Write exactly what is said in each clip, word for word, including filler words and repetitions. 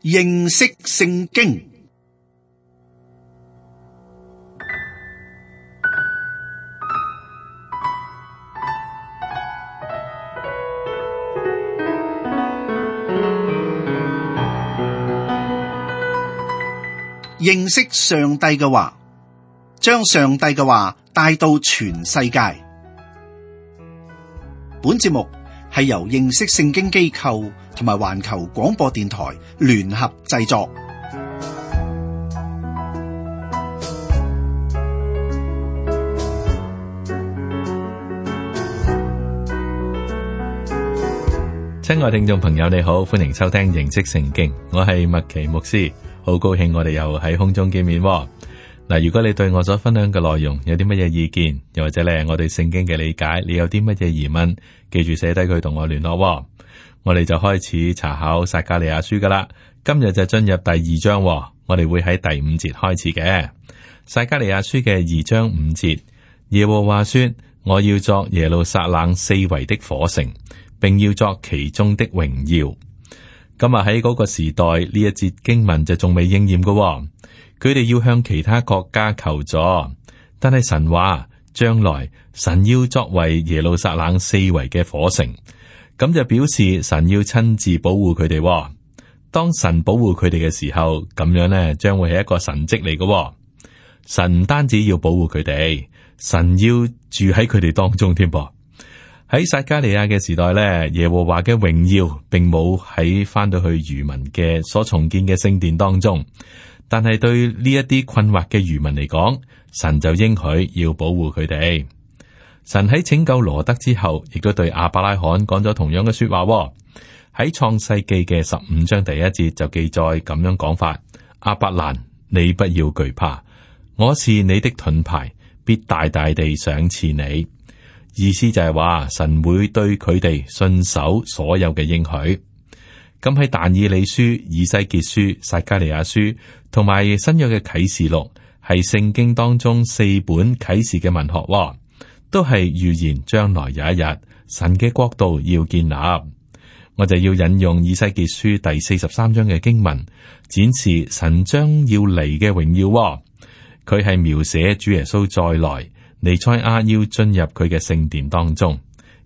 認識聖經。認識上帝嘅話，將上帝嘅話帶到全世界。本節目係由認識聖經機構同埋環球廣播電台聯合製作。親愛聽眾朋友，你好，歡迎收聽認識聖經，我係麥奇牧師，好高興我哋又喺空中見面。嗱，如果你對我所分享嘅內容有啲乜嘢意見，又或者咧我對聖經嘅理解，你有啲乜嘢疑問，記住寫低佢同我聯絡。我哋就開始查考撒迦利亞書噶啦，今日就進入第二章，我哋會喺第五節開始嘅。撒迦利亞書嘅二章五節，耶和華說：我要作耶路撒冷四圍的火城，並要作其中的榮耀。今日喺嗰個時代，呢一節經文就仲未應驗嘅。佢哋要向其他國家求助，但係神話將來神要作為耶路撒冷四圍嘅火城，咁就表示神要親自保護佢哋。當神保護佢哋嘅時候，咁樣呢將會係一個神蹟嚟嘅。神唔單止要保護佢哋，神要住喺佢哋當中添噃。喺撒迦利亞嘅時代咧，耶和華嘅榮耀並冇喺翻到去餘民嘅所重建嘅聖殿當中。但係對呢一啲困惑嘅餘民嚟講，神就應許要保護佢哋。神喺拯救羅德之後，亦都對亞伯拉罕講咗同樣嘅說話。喺創世記嘅十五章第一節就記載咁樣講法：亞伯蘭，你不要懼怕，我是你的盾牌，必大大地賞賜你。意思就係話神會對佢哋信守所有嘅應許。咁喺但以理書、以西結書、撒迦利亞書同埋新約嘅啟示錄，係聖經當中四本啟示嘅文學，都係預言將來有一日神嘅國度要建立。我就要引用以西結書第四十三章嘅經文，展示神將要嚟嘅榮耀。佢係描寫主耶穌再來，彌賽亞要進入佢嘅聖殿當中。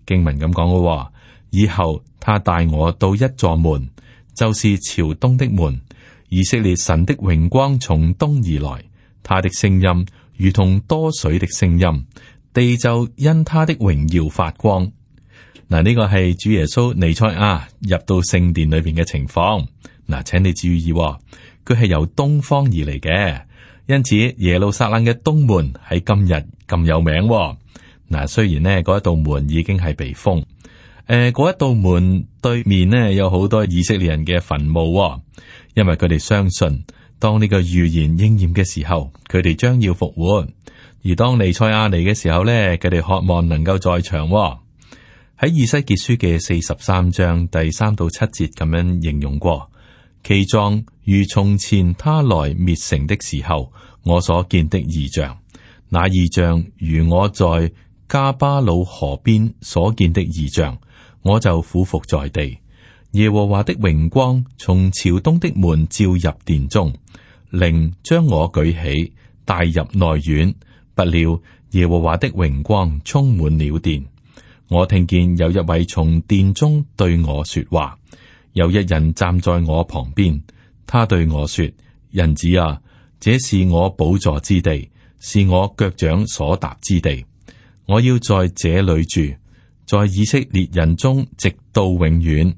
經文咁講嘅，以後他帶我到一座門，就是朝東的門。以色列神的榮光從東而來，他的聲音如同多水的聲音，地就因他的榮耀發光。嗱，呢個係主耶穌彌賽亞入到聖殿裏邊嘅情況。嗱，請你注意，佢係由東方而嚟嘅，因此耶路撒冷嘅東門喺今日咁有名。嗱，雖然呢嗰一道門已經係被封。誒，嗰、呃、一道門對面呢，有好多以色列人嘅墳墓，哦，因為佢哋相信當呢個預言應驗嘅時候，佢哋將要復活。而當彌賽亞嚟嘅時候呢，佢哋渴望能夠在場，哦。喺以西結書嘅四十三章第三到七節咁樣形容過，其狀如從前他來滅城的時候，我所見的異象，那異象如我在加巴魯河邊所見的異象。我就俯伏在地，耶和華的榮光從朝東的門照入殿中，靈將我舉起，帶入內院。不料耶和華的榮光充滿了殿，我聽見有一位從殿中對我說話，有一人站在我旁邊，他對我說：人子啊，這是我寶座之地，是我腳掌所踏之地，我要在這裏住，在以色列人中直到永遠。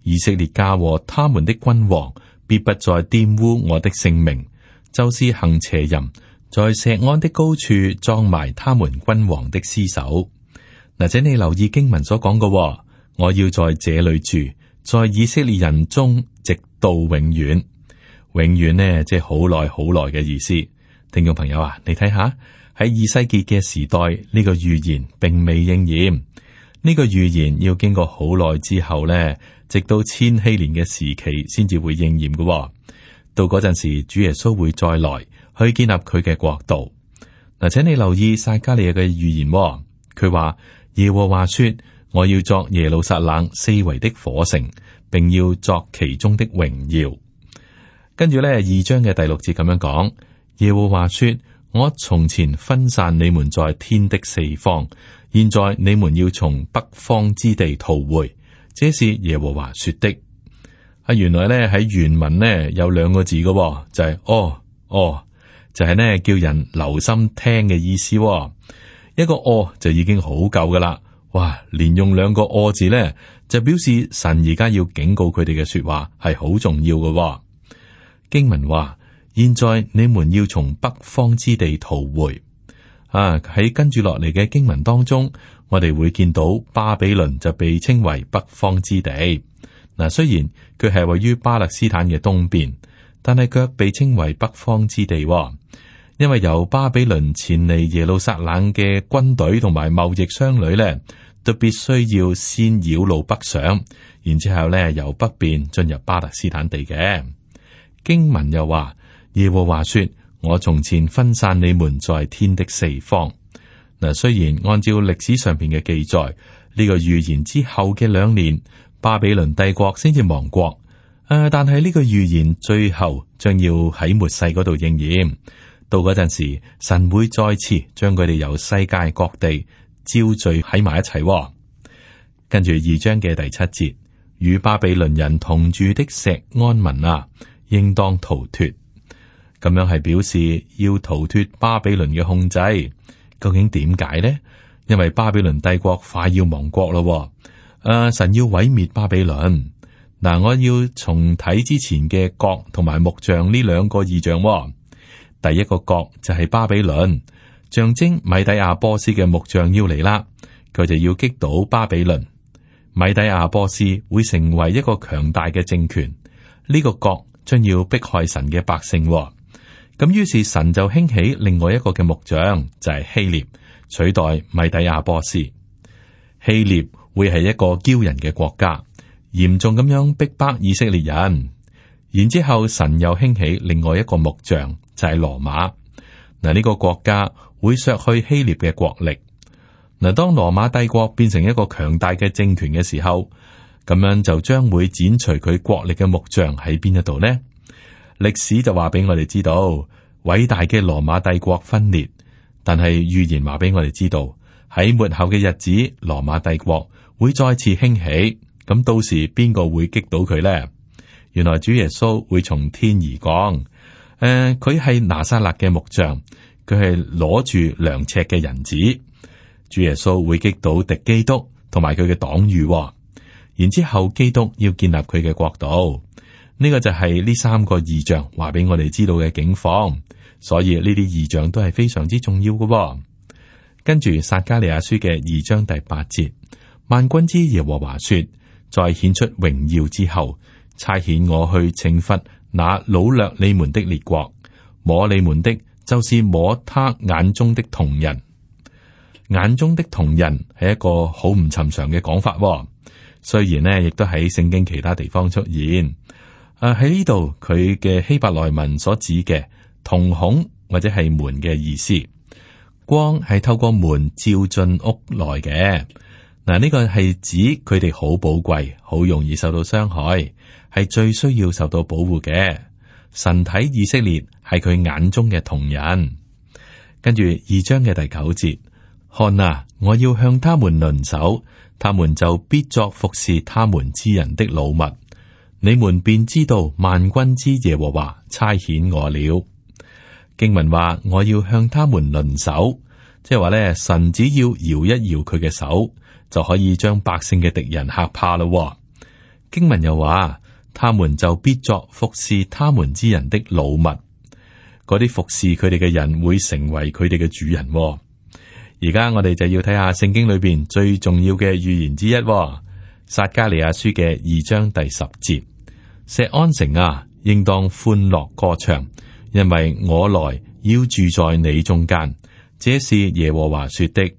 以色列家和他們的君王必不再玷污我的聖名，就是行邪淫，在錫安的高處葬埋他們君王的屍首。嗱，請你留意經文所講嘅，我要在這裏住，在以色列人中直到永遠。永遠呢，即係好耐好耐嘅意思。聽眾朋友啊，你睇下喺以西結嘅時代，呢個預言並未應驗。呢個預言要經過好耐之後呢，直到千禧年嘅時期先至會應驗嘅。到嗰陣時，主耶穌會再來去建立佢嘅國度。嗱，請你留意撒迦利亞嘅預言，佢話耶和華說：我要作耶路撒冷四圍的火城，並要作其中的榮耀。跟住咧，二章嘅第六節咁樣講：耶和華說，我從前分散你們在天的四方，現在你們要從北方之地逃回，這是耶和華說的。啊，原來咧喺原文呢有兩個字嘅、哦，就係、是、哦哦，就係、是、呢叫人留心聽嘅意思、哦。一個哦就已經好夠噶啦，哇！連用兩個哦字咧，就表示神而家要警告佢哋嘅說話係好重要嘅、哦。經文話：現在你們要從北方之地逃回。啊，喺跟住落嚟嘅經文當中，我哋會見到巴比倫就被稱為北方之地。嗱，雖然佢係位於巴勒斯坦嘅東邊，但係卻被稱為北方之地、哦，因為由巴比倫前嚟耶路撒冷嘅軍隊同埋貿易商旅咧，都必須要先繞路北上，然之後咧由北邊進入巴勒斯坦地嘅。經文又話：耶和華說，我從前分散你們在天的四方。嗱，雖然按照歷史上邊嘅記載，呢、這個預言之後嘅兩年，巴比倫帝國先至亡國。誒、呃，但係呢個預言最後將要喺末世嗰度應驗。到嗰陣時，神會再次將佢哋由世界各地招聚喺埋一齊、哦。跟住二章嘅第七節，與巴比倫人同住的錫安民啊，應當逃脫。咁樣係表示要逃脫巴比倫嘅控制。究竟點解呢？因為巴比倫帝國快要亡國咯。誒、呃，神要毀滅巴比倫。嗱、呃，我要重睇之前嘅角同埋木像呢兩個異象、哦。第一個角就係巴比倫，象徵米底亞波斯嘅木像要嚟啦，佢就要擊倒巴比倫。米底亞波斯會成為一個強大嘅政權，呢、這個角將要迫害神嘅百姓、哦。咁於是神就興起另外一個嘅木像，就係、是、希臘，取代米底亞波斯。希臘會係一個驕人嘅國家，嚴重咁樣逼迫以色列人。然之後神又興起另外一個木像，就係、是、羅馬。嗱，呢個國家會削去希臘嘅國力。嗱，當羅馬帝國變成一個強大嘅政權嘅時候，咁樣就將會剪除佢國力嘅木像喺邊一度呢？歷史就話俾我哋知道，偉大嘅羅馬帝國分裂，但係預言話俾我哋知道，喺末後嘅日子，羅馬帝國會再次興起。咁到時邊個會擊倒佢呢？原來主耶穌會從天而降。誒、呃，佢係拿撒勒嘅木像，佢係攞住量尺嘅人子。主耶穌會擊倒敵基督同埋佢嘅黨羽，然之後基督要建立佢嘅國度。呢個就係呢三個異象話俾我哋知道嘅境況，所以呢啲異象都係非常之重要嘅。跟住撒迦利亞書嘅二章第八節，萬軍之耶和華說：在顯出榮耀之後，差遣我去懲罰那擄掠你們的列國，摸你們的，就是摸他眼中的瞳人。眼中的瞳人係一個好唔尋常嘅講法，雖然呢亦都喺聖經其他地方出現。誒，喺呢度佢嘅希伯來文所指嘅瞳孔或者係門嘅意思，光係透過門照進屋內嘅。嗱，呢個係指佢哋好寶貴，好容易受到傷害，係最需要受到保護嘅。神睇以色列係佢眼中嘅瞳人。跟住二章嘅第九節，看啊，我要向他們掄手，他們就必作服侍他們之人的擄物。你們便知道萬軍之耶和華差遣我了。經文話我要向他們掄手，即係話咧，神只要搖一搖佢嘅手，就可以將百姓嘅敵人嚇怕咯。經文又話，他們就必作服侍他們之人的擄物。嗰啲服侍佢哋嘅人會成為佢哋嘅主人。而家我哋就要睇下聖經裏邊最重要嘅預言之一，撒迦利亞書嘅二章第十節。錫安城啊，應當歡樂歌唱，因為我來要住在你中間，這是耶和華說的。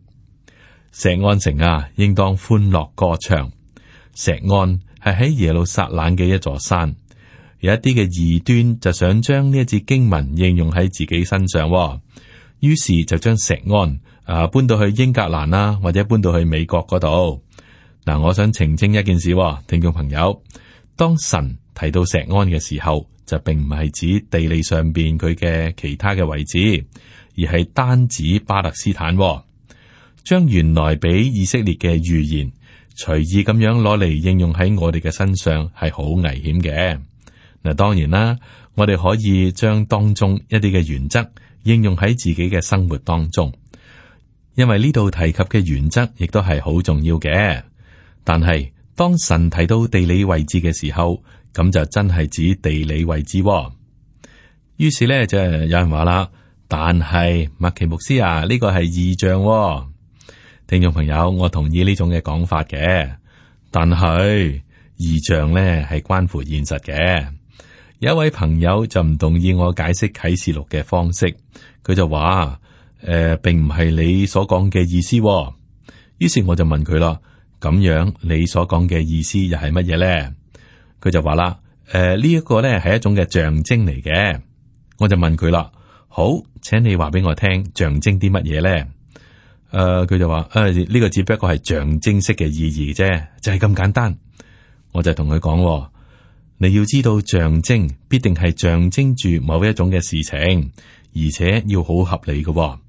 錫安城啊，應當歡樂歌唱。錫安係喺耶路撒冷嘅一座山，有一啲嘅異端就想將呢一節經文應用喺自己身上，於是就將錫安啊搬到去英格蘭啦，或者搬到去美國嗰度。嗱，我想澄清一件事，聽眾朋友，當神提到錫安嘅時候，就並唔係指地理上邊佢嘅其他嘅位置，而係單指巴勒斯坦，哦，將原來俾以色列嘅預言隨意咁樣攞嚟應用喺我哋嘅身上，係好危險嘅。嗱，當然啦，我哋可以將當中一啲嘅原則應用喺自己嘅生活當中，因為呢度提及嘅原則亦都係好重要嘅。但係當神提到地理位置嘅時候，咁就真係指地理位置，哦。於是咧就有人話啦，但係麥奇牧師啊，呢個係異象，哦。聽眾朋友，我同意呢種嘅講法嘅，但係異象咧係關乎現實嘅。有一位朋友就唔同意我解釋啟示錄嘅方式，佢就話誒、呃，並唔係你所講嘅意思，哦。於是我就問佢啦，咁樣你所講嘅意思又係乜嘢咧？佢就話啦，誒、呃，呢一個咧係一種嘅象徵嚟嘅。我就問佢啦，好，請你話俾我聽，象徵啲乜嘢咧？誒、呃，佢就話，誒、呃，呢、這個只不過係象徵式嘅意義啫，就係、是、咁簡單。我就同佢講，你要知道象徵必定係象徵住某一種嘅事情，而且要好合理嘅，哦。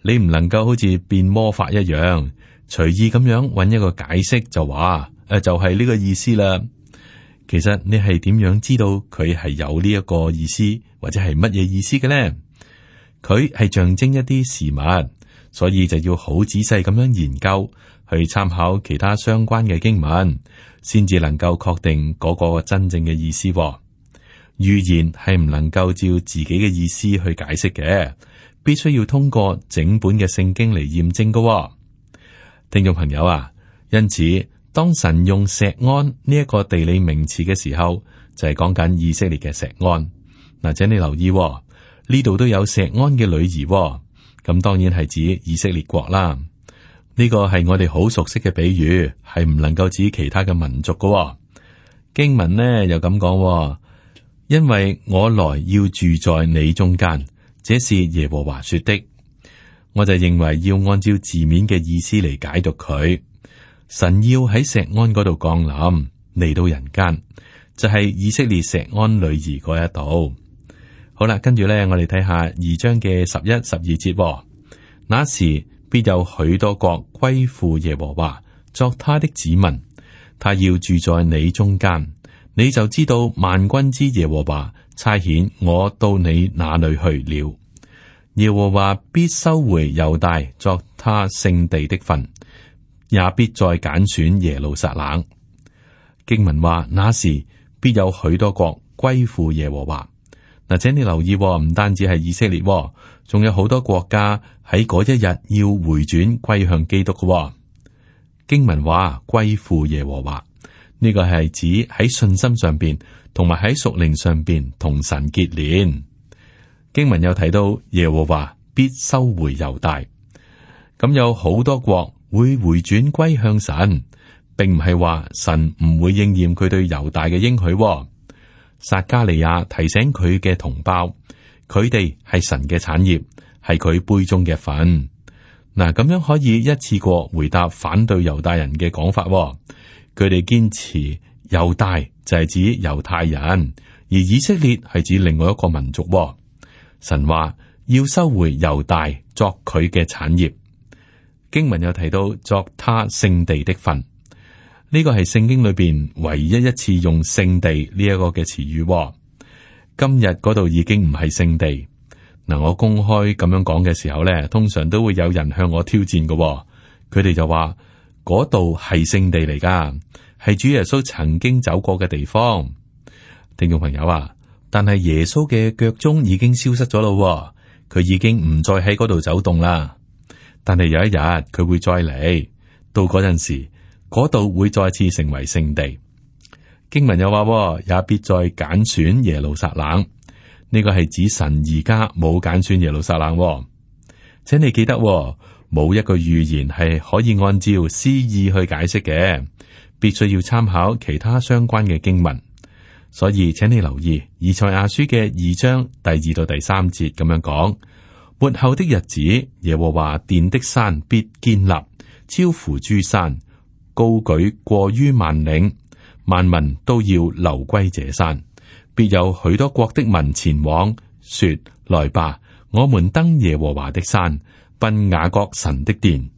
你唔能夠好似變魔法一樣，隨意咁樣揾一個解釋就話，誒、呃，就係、是、呢個意思啦。其實你係點樣知道佢係有呢一個意思，或者係乜嘢意思嘅咧？佢係象徵一啲事物，所以就要好仔細咁樣研究，去參考其他相關嘅經文，先至能夠確定嗰個真正嘅意思。預言係唔能夠照自己嘅意思去解釋嘅，必須要通過整本嘅聖經嚟驗證嘅。聽眾朋友啊，因此，當神用錫安呢一個地理名詞嘅時候，就係講緊以色列嘅錫安。嗱，請你留意呢度都有錫安嘅女兒，咁當然係指以色列國啦。呢個係我哋好熟悉嘅比喻，係唔能夠指其他嘅民族嘅。經文呢又咁講，因為我來要住在你中間，這是耶和華說的。我就認為要按照字面嘅意思嚟解讀佢。神要喺錫安嗰度降臨嚟到人間，就係、是、以色列錫安女兒嗰一度。好啦，跟住咧，我哋睇下二章嘅十一、十二節。那時必有許多國歸附耶和華，作他的子民。他要住在你中間，你就知道萬軍之耶和華差遣我到你那裏去了。耶和華必收回猶大作他聖地的份，也必再揀選耶路撒冷。經文話，那時必有許多國歸附耶和華。嗱，請你留意，唔單止係以色列，仲有好多國家喺嗰一日要回轉歸向基督嘅。經文話歸附耶和華，呢個係指喺信心上邊，同埋喺屬靈上邊同神結連。經文又提到耶和華必收回猶大，咁有好多國會回轉歸向神，並唔係話神唔會應驗佢對猶大嘅應許。撒迦利亞提醒佢嘅同胞，佢哋係神嘅產業，係佢杯中嘅份。嗱，咁樣可以一次過回答反對猶大人嘅講法。佢哋堅持猶大就係指猶太人，而以色列係指另外一個民族。神話要收回猶大作佢嘅產業。經文又提到作他聖地的份。呢個係聖經裏邊唯一一次用聖地呢一個嘅詞語。今日嗰度已經唔係聖地。嗱，我公開咁樣講嘅時候咧，通常都會有人向我挑戰嘅。佢哋就話嗰度係聖地嚟噶，係主耶穌曾經走過嘅地方。聽眾朋友啊，但係耶穌嘅腳蹤已經消失咗咯，佢已經唔再喺嗰度走動啦。但係有一日佢會再嚟，到嗰陣時。嗰度會再次成為聖地。經文又話，也必再揀選耶路撒冷。呢個係指神而家冇揀選耶路撒冷。請你記得，冇一個預言係可以按照詩意去解釋嘅，必須要參考其他相關嘅經文。所以，請你留意以賽亞書嘅二章第二到第三節咁樣講：末後的日子，耶和華殿的山必堅立，超乎諸山。高舉過於萬嶺，萬民都要流歸這山，必有許多國的民前往，說：來吧，我們登耶和華的山，奔雅各神的殿。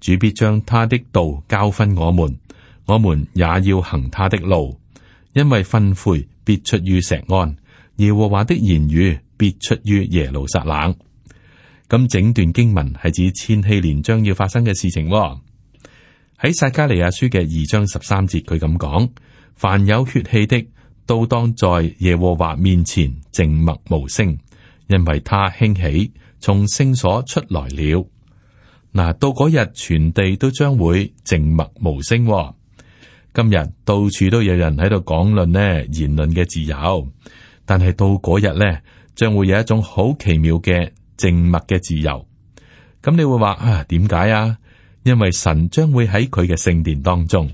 主必將他的道教訓我們，我們也要行他的路，因為訓誨必出於錫安，耶和華的言語必出於耶路撒冷。咁整段經文係指千禧年將要發生嘅事情喎。喺撒迦利亞書嘅二章十三節，佢咁講：凡有血氣的，都當在耶和華面前靜默無聲，因為他興起，從聖所出來了。嗱，到嗰日，全地都將會靜默無聲喎。今日到處都有人喺度講論呢言論嘅自由，但係到嗰日呢，將會有一種好奇妙嘅靜默嘅自由。咁你會話啊，點解啊？因為神將會喺佢嘅聖殿當中，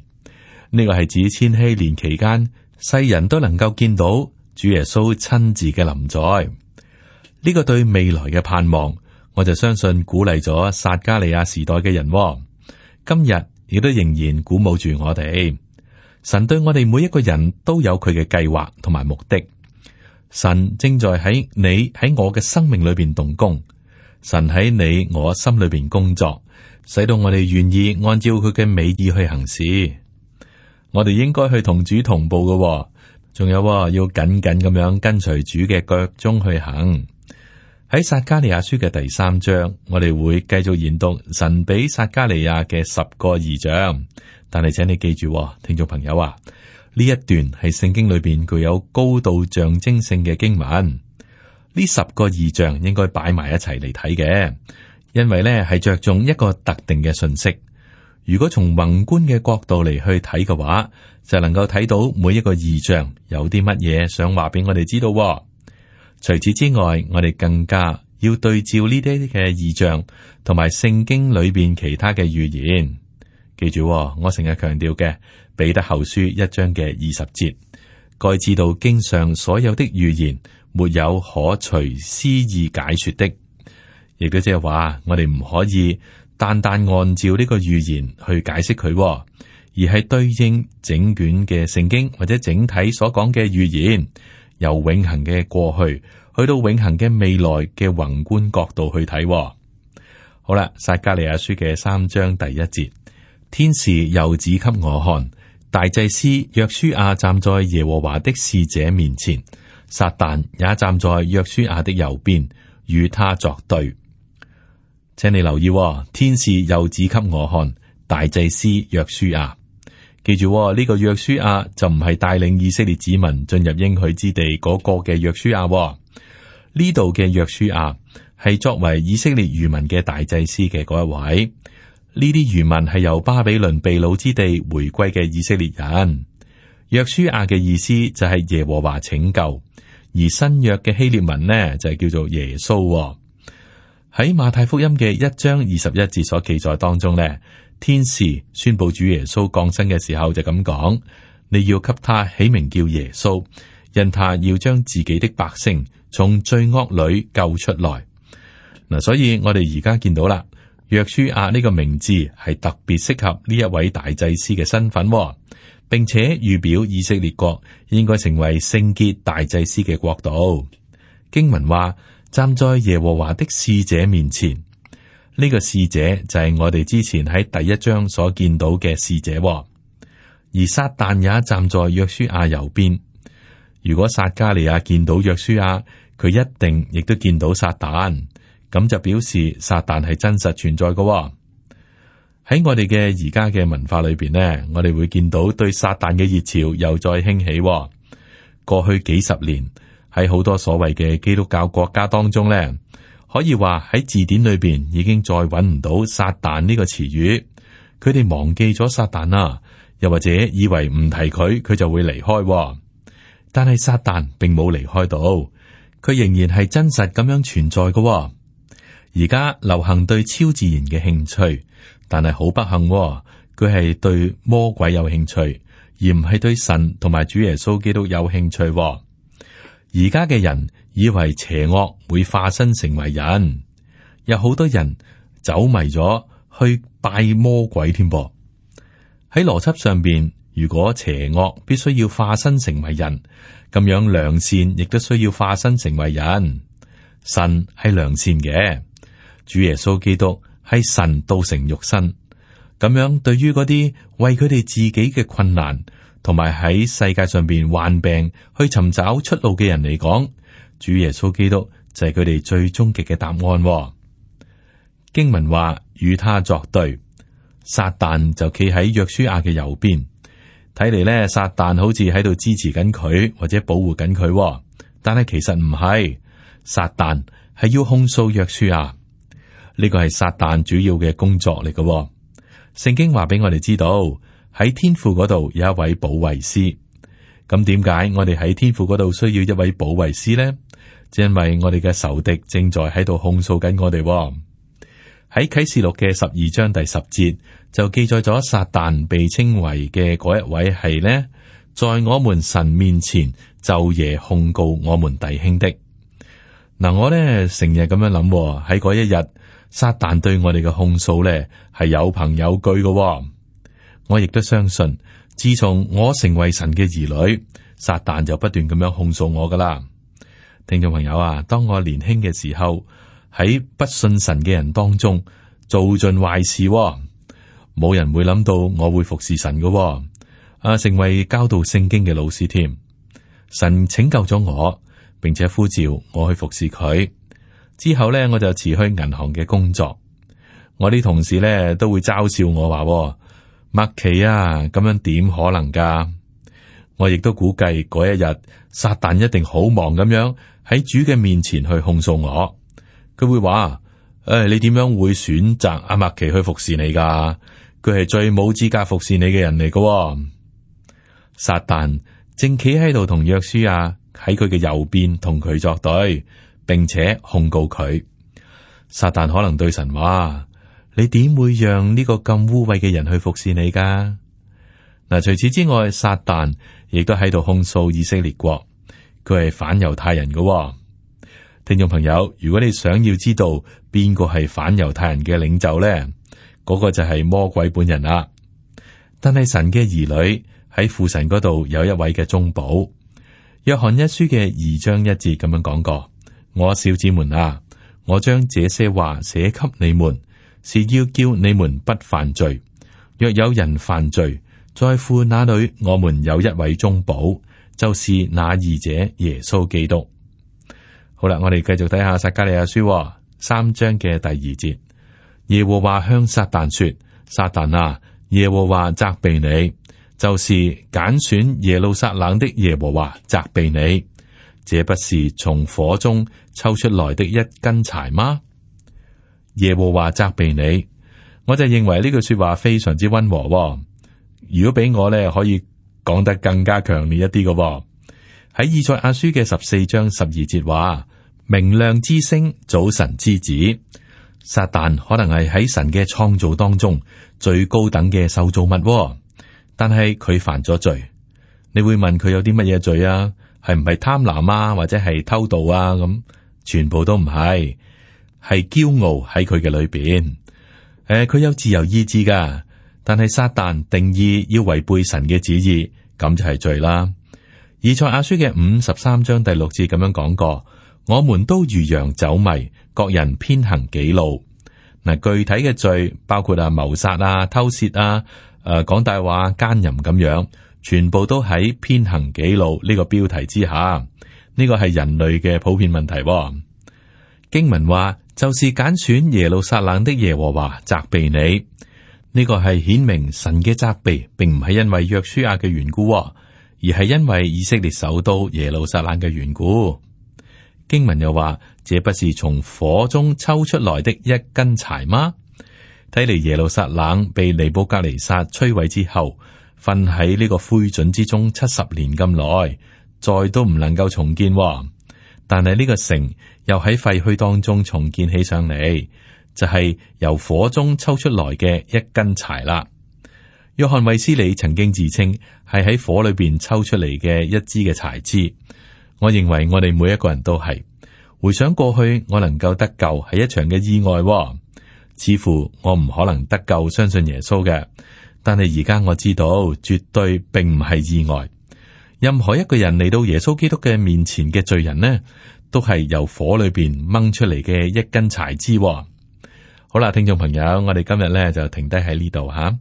呢個係指千禧年期間，世人都能夠見到主耶穌親自嘅臨在。呢個對未來嘅盼望，我就相信鼓勵咗撒迦利亞時代嘅人，今日亦都仍然鼓舞住我哋。神對我哋每一個人都有佢嘅計劃同埋目的。神正在喺你喺我嘅生命裏邊動工，神喺你我心裏邊工作，使到我哋願意按照佢嘅美意去行事。我哋應該去同主同步嘅，仲有要緊緊咁樣跟隨主嘅腳蹤去行。喺撒迦利亞書嘅第三章，我哋會繼續研讀神俾撒迦利亞嘅十個異象。但係請你記住，聽眾朋友啊，呢一段係聖經裏邊具有高度象徵性嘅經文。呢十個異象應該擺埋一齊嚟睇嘅，因為呢係着重一個特定嘅信息。如果從宏觀嘅角度嚟去睇嘅話，就能夠睇到每一個異象有啲乜嘢想話俾我哋知道。除此之外，我哋更加要對照呢啲嘅異象同埋聖經裏邊其他嘅預言。記住，我成日強調嘅彼得後書一章嘅二十節，該知道經上所有的預言沒有可隨私意解說的，亦都即係話我哋唔可以單單按照呢個預言去解釋佢，而係對應整卷嘅聖經或者整體所講嘅預言，由永恆嘅過去去到永恆嘅未來嘅宏觀角度去睇。好啦，撒迦利亞書嘅三章第一節，天使又指給我看，大祭司約書亞站在耶和華的使者面前，撒旦也站在約書亞的右邊，與他作對。請你留意，天使又指給我看，大祭司約書亞。記住呢、這個約書亞就唔係帶領以色列子民進入應許之地嗰個嘅約書亞，呢度嘅約書亞係作為以色列餘民嘅大祭司嘅嗰一位。呢啲餘民係由巴比倫被擄之地回歸嘅以色列人。約書亞嘅意思就係耶和華拯救，而新約嘅希臘文呢就係叫做耶穌。喺馬太福音嘅一章二十一節所記載當中呢，天使宣布主耶穌降生嘅時候就咁講：你要給他起名叫耶穌，因他要將自己的百姓從罪惡裏救出來。嗱，所以我哋而家見到啦，約書亞呢個名字係特別適合呢一位大祭司嘅身份，並且預表以色列國應該成為聖潔大祭司嘅國度。經文話，站在耶和華的使者面前，呢個使者就係我哋之前喺第一章所見到嘅使者，而撒旦也站在約書亞右邊。如果撒迦利亞見到約書亞，佢一定亦都見到撒旦，咁就表示撒旦係真實存在嘅。喺我哋嘅而家嘅文化裏邊呢，我哋會見到對撒旦嘅熱潮又再興起。過去幾十年喺好多所謂嘅基督教國家當中呢，可以話喺字典裏邊已經再揾唔到撒旦呢個詞語，佢哋忘記咗撒旦啦，又或者以為唔提佢，佢就會離開。但係撒旦並冇離開到，佢仍然係真實咁樣存在嘅。而家流行對超自然嘅興趣，但係好不幸，佢係對魔鬼有興趣，而唔係對神同埋主耶穌基督有興趣。而家嘅人以為邪惡會化身成為人，有好多人走迷咗去拜魔鬼添噃。喺邏輯上邊，如果邪惡必須要化身成為人，咁樣良善亦都需要化身成為人。神係良善嘅，主耶穌基督係神道成肉身。咁樣對於嗰啲為佢哋自己嘅困難，同埋喺世界上邊患病去尋找出路嘅人嚟講，主耶穌基督就係佢哋最終極嘅答案。經文話與他作對，撒旦就企喺約書亞嘅右邊。睇嚟咧，撒旦好似喺度支持緊佢，或者保護緊佢，但係其實唔係。撒旦係要控訴約書亞，呢個係撒旦主要嘅工作嚟嘅。聖經話俾我哋知道，喺天父嗰度有一位保惠師。咁點解我哋喺天父嗰度需要一位保惠師呢？就因為我哋嘅仇敵正在喺度控訴緊我哋。喺啟示錄嘅十二章第十節就記載咗撒旦被稱為嘅嗰一位係呢，在我們神面前晝夜控告我們弟兄的。嗱，我呢成日咁樣諗，喺嗰一日撒旦對我哋嘅控訴呢係有憑有據嘅。我亦都相信，自從我成為神嘅兒女，撒旦就不斷咁樣控訴我噶啦。聽眾朋友啊，當我年輕嘅時候，喺不信神嘅人當中做盡壞事，冇人會諗到我會服侍神嘅，啊，成為教導聖經嘅老師添。神拯救咗我，並且呼召我去服侍佢。之後呢，我就辭去銀行嘅工作。我啲同事呢都會嘲笑我話：麥奇啊，咁樣點可能噶？我亦都估計嗰一日，撒旦一定好忙咁樣喺主嘅面前去控訴我。佢會話：誒、哎，你點樣會選擇阿麥奇去服侍你噶？佢係最冇資格服侍你嘅人嚟噶。撒旦正企喺度同約書亞喺佢嘅右邊同佢作對，並且控告佢。撒旦可能對神話：你點會讓呢個咁污穢嘅人去服侍你噶？嗱，除此之外，撒旦亦都喺度控訴以色列國，佢係反猶太人嘅。聽眾朋友，如果你想要知道邊個係反猶太人嘅領袖咧，嗰個就係魔鬼本人啦。但係神嘅兒女喺父神嗰度有一位嘅中保。約翰一書嘅二章一節咁樣講過：我小子們啊，我將這些話寫給你們，是要叫你們不犯罪。若有人犯罪，在父那裏我們有一位中保，就是那二者耶穌基督。好啦，我哋繼續睇下撒迦利亞書三章嘅第二節。耶和華向撒旦說：撒旦啊，耶和華責備你，就是揀選耶路撒冷的耶和華責備你，這不是從火中抽出來的一根柴嗎？耶和華責備你，我就認為呢句說話非常之溫和。如果俾我咧，可以講得更加強烈一啲嘅。喺以賽亞書嘅十四章十二節話：明亮之星，早晨之子。撒旦可能係喺神嘅創造當中最高等嘅受造物，但係佢犯咗罪。你會問佢有啲乜嘢罪啊？係唔係貪婪啊，或者係偷盜啊？咁全部都唔係，係驕傲喺佢嘅裏邊。誒、呃，佢有自由意志噶，但係撒旦定義要違背神嘅旨意，咁就係罪啦。以賽亞書嘅五十三章第六節咁樣講過：我們都如羊走迷，各人偏行己路。嗱，具體嘅罪包括啊謀殺啊、偷竊啊、誒講大話、奸淫咁樣，全部都喺偏行己路呢個標題之下。呢個係人類嘅普遍問題。經文話，就是揀選耶路撒冷的耶和華責備你。呢個係顯明神嘅責備，並唔係因為約書亞嘅緣故，而係因為以色列首都耶路撒冷嘅緣故。經文又話，這不是從火中抽出來的一根柴嗎？睇嚟耶路撒冷被尼布甲尼撒摧毀之後，瞓喺呢個灰燼之中七十年咁耐，再都唔能夠重建。但係呢個城又喺廢墟當中重建起上嚟，就係、是、由火中抽出來嘅一根柴啦。約翰衛斯理曾經自稱係喺火裏邊抽出嚟嘅一支嘅柴枝。我認為我哋每一個人都係回想過去，我能夠得救係一場嘅意外，似乎我唔可能得救相信耶穌嘅。但係而家我知道，絕對並唔係意外。任何一個人嚟到耶穌基督嘅面前嘅罪人呢，都係由火裏邊掹出嚟嘅一根柴枝。好啦，聽眾朋友，我哋今日咧就停低喺呢度吓。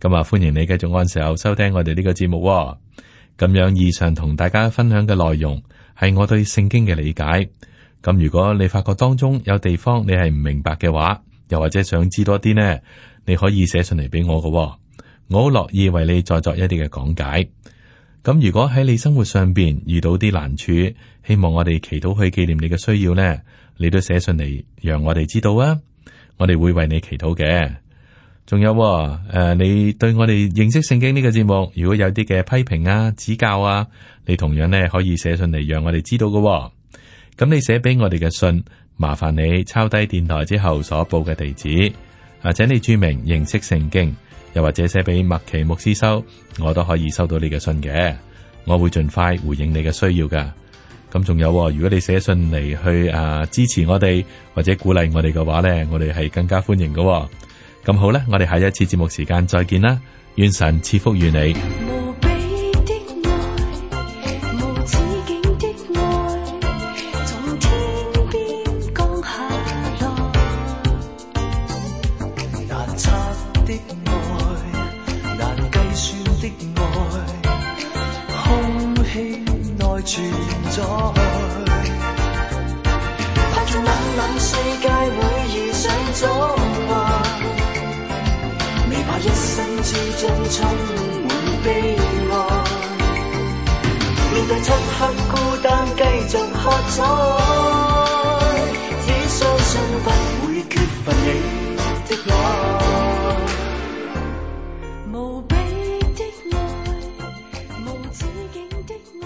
咁啊，歡迎你繼續按時候收聽我哋呢個節目。咁樣以上同大家分享嘅內容係我對聖經嘅理解。咁如果你發覺當中有地方你係唔明白嘅話，又或者想知多啲呢，你可以寫信嚟俾我㗎，我好樂意為你再作一啲嘅講解。咁如果喺你生活上邊遇到啲難處，希望我哋祈禱去紀念你嘅需要呢，你都寫信嚟讓我哋知道啊，我哋會為你祈禱嘅。仲有誒、呃，你對我哋認識聖經呢個節目，如果有啲嘅批評啊、指教啊，你同樣呢可以寫信嚟讓我哋知道嘅。咁你寫俾我哋嘅信，麻煩你抄低電台之後所報嘅地址，或者你注明認識聖經。又或者寫俾麥奇牧師收，我都可以收到你嘅信嘅，我會盡快回應你嘅需要噶。咁仲有，如果你寫信嚟去啊支持我哋或者鼓勵我哋嘅話呢，我哋係更加歡迎嘅。咁好啦，我哋下一次節目時間再見啦，願神賜福於你。無比的愛，無止境的愛，從天邊降下來，難測的愛，難計算的愛，空氣內存在，怕在冷冷世界會遇上阻礙，未怕一生之中充滿悲哀，面對漆黑孤單繼續喝彩，只相信不會缺乏你的愛。無比的愛，無止境的愛。